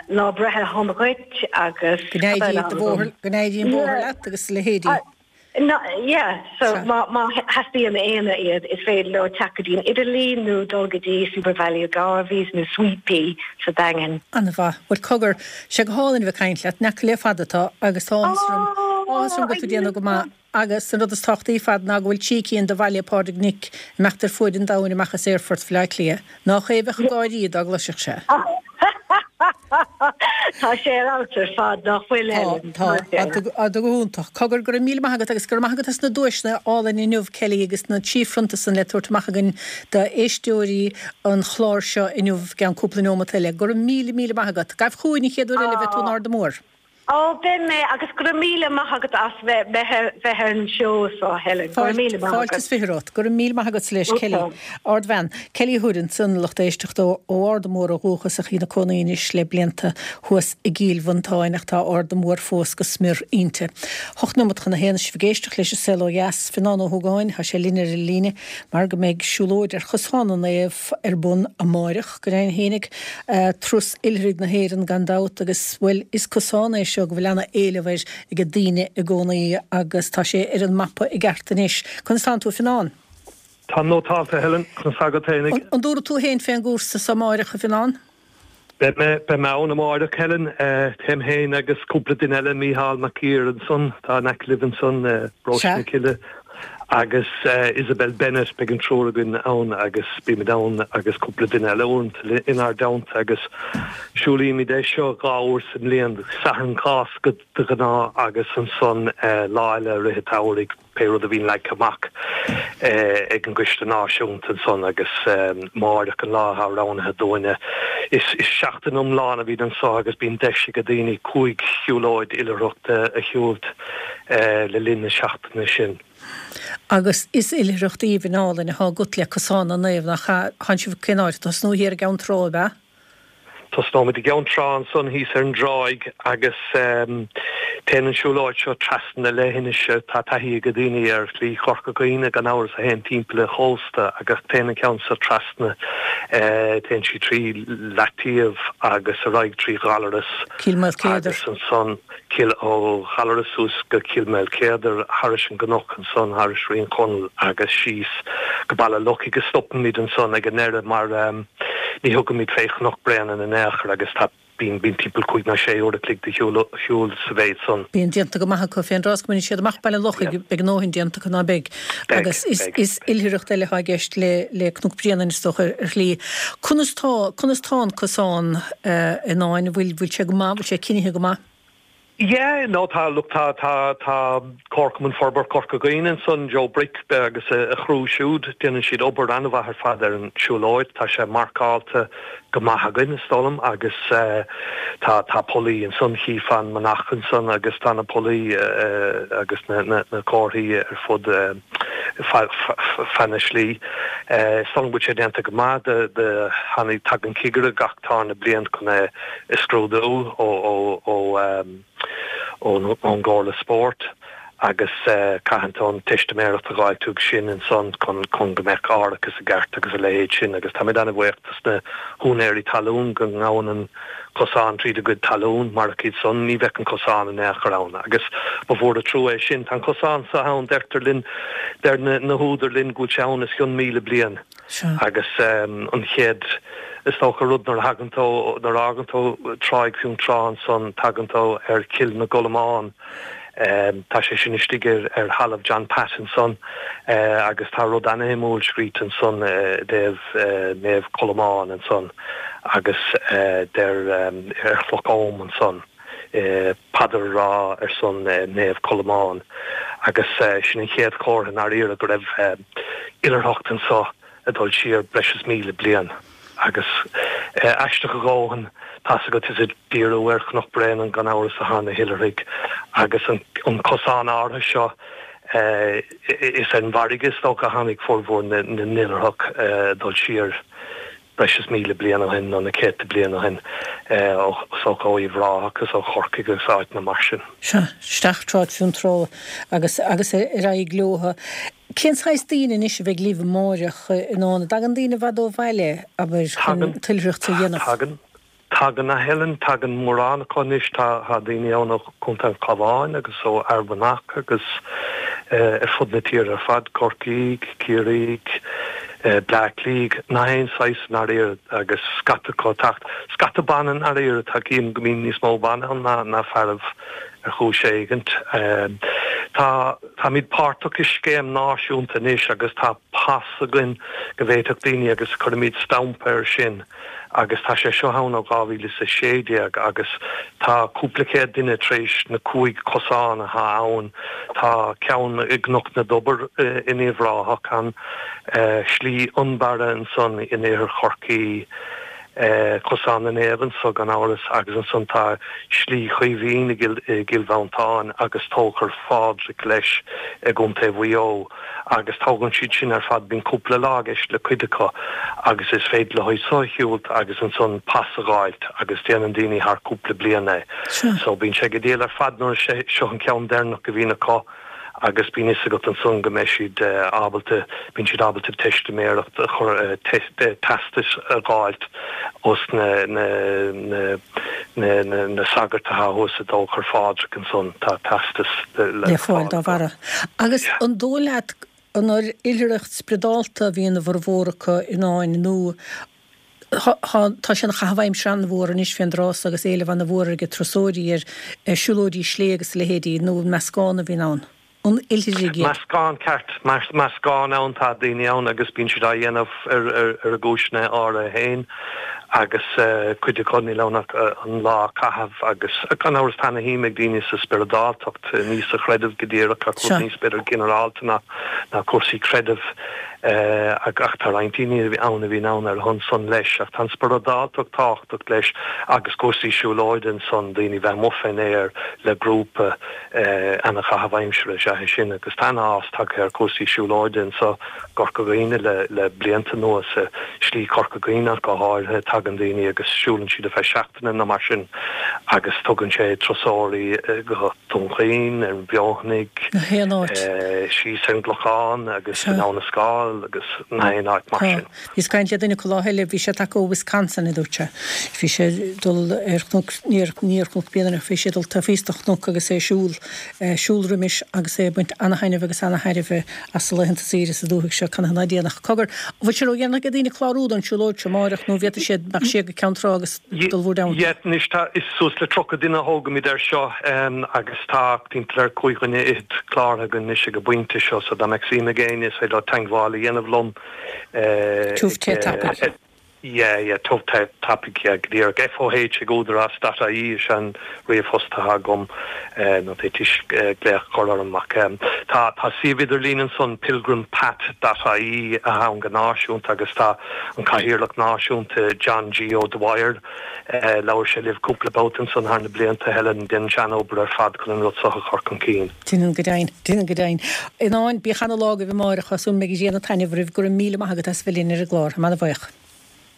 lá breithe shona dhuit agus Go n-éirí do bhóthar, go n-éirí an bóthar leat agus a leithéidí. No, yeah, so má má theastaíonn éinne iad, is féidir leo teacht go dtí an idirlíon nó dul go dtí SuperValu Garveys nó Sweet Pea sa Daingean. An-mhaith. Bhuel, cogar, sé go hálainn a bheith ag caint leat, in aice le fada atá agus tá áthas orm Áthas orm go bhfuil tú ag déanamh go maith agus an rud is tábhachtaí ar fad ná go bhfuil trí cinn de Bhaile Phádraig Nic ag imeacht ar fuaid an domhain amach as Aerfort Bhaile Átha Cliath. Nách é a bheadh ag gáirí dá gcloisfeadh sé. Tá sé ar fheabhas ar fad, nach bhfuil, Helen? Tá, tá. Tá go hiontach. Cogar, go raibh míle maith agat agus go raibh maith agat as na duaiseanna álainn inniu, Kelly, agus na trí phrionta san le tabhairt amach againn d'éisteoirí an chláir seo inniu i gceann cúpla neomat eile. Go raibh míle, míle maith agat. Gabh chugainn an chéad uair eile a bheidh tú in Arda Mór. Ó, beidh mé, agus go raibh míle maith agat as bheith bheith ar an seó seo, Helen. Go raibh míle maith Fáilte agat. is fiche romhat. Go raibh míle maith agat leis, Kelly. Ardbhean. Kelly Hood ansan, lucht éisteachta ó Arda Mór ó dhúchas ach í ina cónaí anois le blianta thuas i gCill Mhantáin ach tá Arda Mór fós go smior inti. Hocht nóimeat chun a haon sibh ag éisteacht leis an Saol Ó Dheas. Fionán Ó hÓgáin, tá sé linn ar an líne mar go mbeidh siúlóid ar Chosán na Naomh ar bun amáireach, go deimhin fhéinig, turas oilithrigh na hÉireann gan dabht agus, bhuel, is cosán é seo go bhfuil ana-éileamh air ag daoine i gcónaí agus tá sé ar an mapa i gceart anois. Conas tánn tú, a Fhionáin? Táim nótálta, Helen, conas tá agat fhéinig? An dtabharfaidh tú fhéin fén gcúrsa so amáireach, a Fhionáin? Beidh mé, beidh mé ann amáireach, Helen. Téim fhéin agus cúpla duine eile, Mícheál Mac Uidhir ansan, atá in aice libh ansan, Paróiste na Cille, agus Isabel Bennett, beidh an triúr againn ann agus bímid ann agus cúpla duine eile uaireanta inár dteannta agus siúlaímid é seo dhá uair sa mbliain, Satharn Cásca de ghnáth agus ansan lá eile i rith an tsamhraidh, pé rud a bhíonn leagtha amach ag an gCoiste Náisiúnta ansan agus amáireach an lá atá roghnaithe dúinne. Is seachtain iomlán a bhíonn anso agus bíonn deis ag daoine cúig shiúlóid oilithreachta a shiúlt le linn na seachtaine sin. Agus is oilithreacht aoibhinn álainn atá agat le Cosán na Naomh, nach ea? Tánn sibh cén áit ag tosnú thiar i gCeann Trá, ab ea? Tosnóimid i gCeann Trá ansan thíos ar an dtráigh agus téann an siúlóid seo trasna na leithinise. Tá taithí ag daoine ar Shlí Chorca Dhuibhne gan amhras a théann timpeall an chósta agus téann an ceann seo trasna, téann sí trí Leataobh agus ar aghaidh trí Ghallaras Cill Maoilchéadair. agus ansan Cill ó Ghallaras suas go Cill Maoilchéadair, thairis an gcnoc ansan, thairis Rinn Chonaill agus síos go Baile Lochaigh agus stopaimid ansan ag an ndeireadh mar ní thugaimid fé Chnoc Bréanainn in aon chor agus tá bíonn bíonn timpeall cúig nó sé uair a chloig de shiúl shiúl sa mhéid san. Bíonn déanta go maith acu fén dtráth is go mbaineann siad amach Baile Lochaigh beidh a ndóthain déanta acu ná beidh. Beidh, Agus is beidh. is oilithreacht eile atá i gceist le le Cnoc Bréanainn is dócha ar shlí. Conas tá conas tá an cosán a Fhionáin, bhfuil bhfuil sé go maith, bhfuil sé cinnithe go maith? Yeah, no tá, look tá, tá, tá Comharchumann Forbartha Chorca Dhuibhne ansan, Joe Brick agus a chriú siúd, déanann siad obair an-mhaith ar fad ar an siúlóid, tá sé marcáilte go maith againn is dóigh liom agus tá, tá pollaí ansan, chífeá an manach ansan agus tá na pollaí agus na, na, na comharthaí ar fud feadh, feadh na slí. Is dóigh liom go bhfuil sé déanta go maith, do, do tháinig, tagann cigire gach tarna bliain chun é a scrúdú ó, ó, ó, ón gComhairle Spóirt agus caitheann tú an teistiméireacht a dh'fháilt uaidh sin ansan chun chun go mbeadh árachas i gceart agus a leithéid sin agus táimid an-bhuíoch dos na húinéirí talún go ngabhann an cosán tríd a gcuid talún, marach iad san ní bheadh an cosán in aon chor ann agus ba mhór an trua é sin. Tá an cosán seo ann, deirtear linn, deir na húdair linn go bhfuil sé ann os cionn míle bliain. Agus an chéad, is dócha, rud nuair a thagann tú, nuair a fhágann tú Tráigh Fionntrá ansan, tagann tú ar Chill na gColmán. Tá sé sin istigh ar thalamh John Pat ansan agus tá rud ana-shuimiúil scríte ansan i dtaobh Naomh Colmán ansan agus deir ar chloch Oghaim ansan paidir a rá ar son Naomh Colmán agus sin an chéad chomhartha i ndáiríre go raibh oilithreacht anso ag dul siar breis is míle bliain agus aisteach a dhóthain, tá's agat, is ag díriú ar Chnoc Bréanainn gan amhras atá na hoilithrigh agus an cosán áirithe seo, is ar an bhfarraige is dócha a tháinig formhór na n-oilithreach ag dul siar breis is míle bliain ó shin nó na céadta bliain ó shin, is dócha ó Uíbh Ráthach agus ó Chorcaigh agus áiteanna mar sin. Sea, isteach Tráigh Fionntrá agus agus ar aghaidh leotha. Cén saghas daoine anois a bheidh libh amáireach a Fhionáin? An dtagann daoine i bhfad ó bhaile, abair, chun Tagann. an t-oilithreacht a dhéanamh? Tagann. Tagann, a Helen, tagann mórán acu anois. Tá tá daoine ann ó Chontae an Chabháin agus ó Fhear Manach agus ar fud na tíre ar fad, Corcaigh, Ciarraí, Bleá Cliath, nach aon saghas i ndáiríre agus scata acu ag teacht. Scata ban i ndáiríre, tá, cím go mbíonn níos mó ban ann ná ná fearaibh ar chúis éigint. Tá táimid páirteach i scéim náisiúnta anois agus tá pas againn go bhféadfadh daoine agus cuirimid stampa air sin agus tá sé seo ann ó dhá mhíle is a sé déag agus tá cúpla céad duine tar éis na cúig cosán atá ann, tá ceann i gCnoc na dTobar in Uíbh Ráthach, an Slí Fhionnbarra ansan in Iarthar Chorcaí, Cosán na Naomh anso gan amhras agus ansan tá Slí Chaoimhín i gCill Mhantáin agus Tóchar Phádraig leis i gContae Mhaigh Eo agus tógann siad sin ar fad, bíonn cúpla lá i gceist le cuid acu agus is féidir leo so a shiúlt agus ansan pas a dh'fháilt agus déanann daoine thar cúpla bliain é. So bíonn sé go diail ar fad nuair is é seo an ceann deireanach a bhíonn acu. agus bíonn fhios agat ansan go mbeidh siad ábalta, bíonn siad ábalta teistiméireacht a chur, teastais a dh'fháilt os na, na, na, na, na, na sagairt atá thuas i dTóchar Phádraig ansan, tá teastas le le fáil fáil dá acu. bharra. Agus an dóigh leat an ar oilithreacht spioradálta a bhíonn a bhformhór acu in ann nó tá sé ina chaitheamh aimsire an-mhór anois fén dtráth so agus éileamh an-mhór ag turasóirí ar siúlóidí slé agus a leithéidí, nó an meascán a bhíonn ann? An oilithrigh iad? Meascán ceart. Meascán ann, tá daoine ann agus bíonn siad á dhéanamh ar ar a gcúiseanna áirithe féin agus cuid acu níl ann ach an lá a chaitheamh agus gan amhras tá ana-shuim ag daoine sa spioradáltacht, ní sa chreideamh go díreach ach rud níos b'fhéidir ginearálta ná ná cúrsaí creidimh. Ach tá roinnt daoine ann a bhíonn ann ar a shon san leis. Ach tá an spioradáltacht tábhachtach leis agus cúrsaí siúlóide ansan, daoine bheith amuigh fén aer le grúpa, ana-chaitheamh aimsire is ea é sin. Agus tá ana-fhás tagtha ar chúrsaí siúlóide anso i gCorca Dhuibhne le le blianta anuas, Slí Chorca Dhuibhne ach go háirithe. Tagann daoine agus siúlann siad ar feadh seachtaine nó mar sin agus tugann sé turasóirí go Dún Chaoin, ar an bhFeothanaigh, Na haon áit. síos ar an gClochán agus Sea. in Abha na Scáil agus na haon áit mar Tá. sin. Bhíos ag caint le duine acu lá eile, bhí sé tagtha ó Wisconsin, a dúirt sé. Bhí sé ag dul ar chnoc, ní ar, ní ar Chnoc Bréanainn ach bhí sé ag dul taobh thíos de chnoc agus é ag siúl, siúl roimis agus é ag baint ana-thaitneamh agus ana-thairbhe as a laethanta saoire sa dúthaigh seo, canathaobh ná déanfadh. Cogar, an bhfuil sé ródhéanach ag daoine clárú don siúlóid seo amáireach nó an bhféadfaidh siad imeacht siar go Ceann Trá agus dul bhur dteannta? Yeah, anois tá, is suas le tríocha duine a thógaimid air seo agus tá timpeall ar cúig dhuine fhichead cláraithe againn anois ag an bpointe seo so dá mbeadh suim ag éinne is féidir leo teagmháil a dhéanamh liom Tiubh ag te tapaidh. Yeah, yeah, tiubh te tapaidh, yeah, go díreach. FOH ag údarás dot ie is ea an ríomhphost atá agam nó d'fhéadfaidís glaoch a chur orm ach tá tá suíomh idirlín ansan pilgrimpath dot ie atá ann go náisiúnta agus tá an Cathaoirleach Náisiúnta John G O'Dwyer Labhair sé libh cúpla babhta ansan thar na blianta, Helen. Déanann sé an-obair ar fad chun an rud so a chur chun cinn. Déanann go deimhin. Déanann go deimhin. In ann, bíodh ana-lá agaibh amáireach. Tá súil agam go mbeidh an ghrian ag taitneamh oraibh. Go raibh míle maith agat as bheith linn ar an gclár. Táim ana-bhuíoch.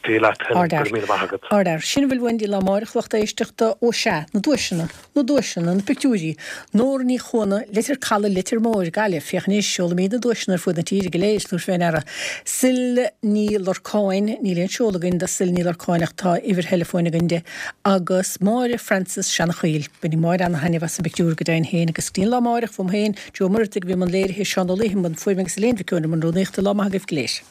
Dia leat, Helen. Go Ardfhear. raibh míle maith agat. Ardfhear. Sin a bhfuil uainn don lá amáireach, lucht éisteachta. Ó sea, na duaiseanna. Na duaiseanna. Na pictiúirí. Nóra Ní Chuana, Leitir Calaidh, Leitir Móir, Gaillimh. Féach anois, seolaimid na duaiseanna ar fuaid na tíre go léir, tabhair fé ndeara. Sil Ní Lorcáin, níl aon seoladh againn do Sil Ní Lorcáin ach tá uimhir theileafóin againn di, agus Máire Frances Seanachaoil. Bainfidh Máire ana-thaitneamh as an bpictiúr go deimhin féin agus go dtí an lá amáireach, uaim féin, Joe Ó Muireadhaigh a bhí i mbun léirithe, Seán Ó Laoithe i mbun fuaime agus Elaine Mhic Eoin i mbun rúnaíochta. Lá maith agaibh go léir.